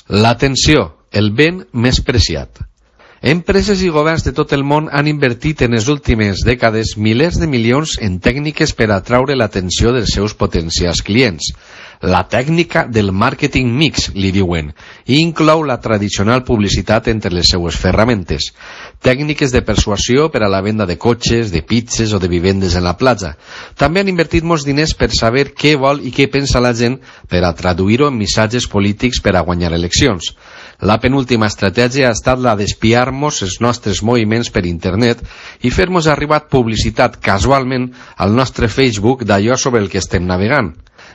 L'atenció, el bé més preciat. Empreses i governs de tot el món han invertit en les últimes dècades milers de milions en tècniques per atraure l'atenció dels seus potencials clients. La tècnica del màrqueting mix, li diuen, i inclou la tradicional publicitat entre les seues ferramentes, tècniques de persuasió per a la venda de cotxes, de pizzas o de vivendes en la platja. També han invertit molts diners per saber què vol i què pensa la gent per a traduir-ho en missatges polítics per a guanyar eleccions. La penúltima estratègia ha estat la d'espiar-nos els nostres moviments per internet i fer-nos arribar publicitat casualment al nostre Facebook d'allò sobre el que estem navegant.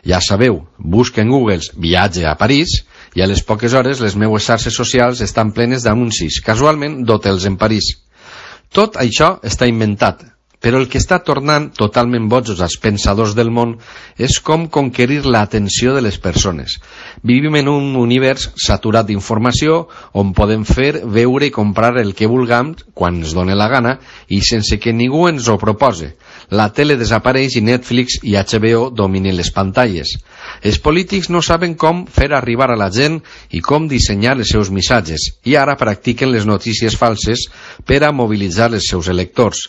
Ja sabeu, busca en Google viatge a París i a les poques hores les meues xarxes socials estan plenes d'anuncis, casualment d'hotels en París. Tot això està inventat, però el que està tornant totalment bojos als pensadors del món és com conquerir l'atenció de les persones. Vivim en un univers saturat d'informació on podem fer, veure i comprar el que vulguem quan ens doni la gana i sense que ningú ens ho propose. La tele desapareix i Netflix i HBO dominen les pantalles. Els polítics no saben com fer arribar a la gent i com dissenyar els seus missatges i ara practiquen les notícies falses per a mobilitzar els seus electors.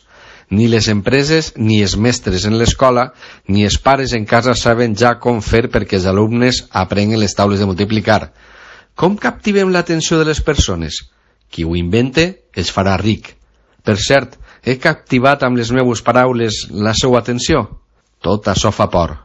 Ni les empreses, ni els mestres en l'escola, ni els pares en casa saben ja com fer perquè els alumnes aprenguin les taules de multiplicar. Com captivem l'atenció de les persones? Qui ho invente es farà ric. Per cert, he captivat amb les meves paraules la seva atenció? Tot això fa por.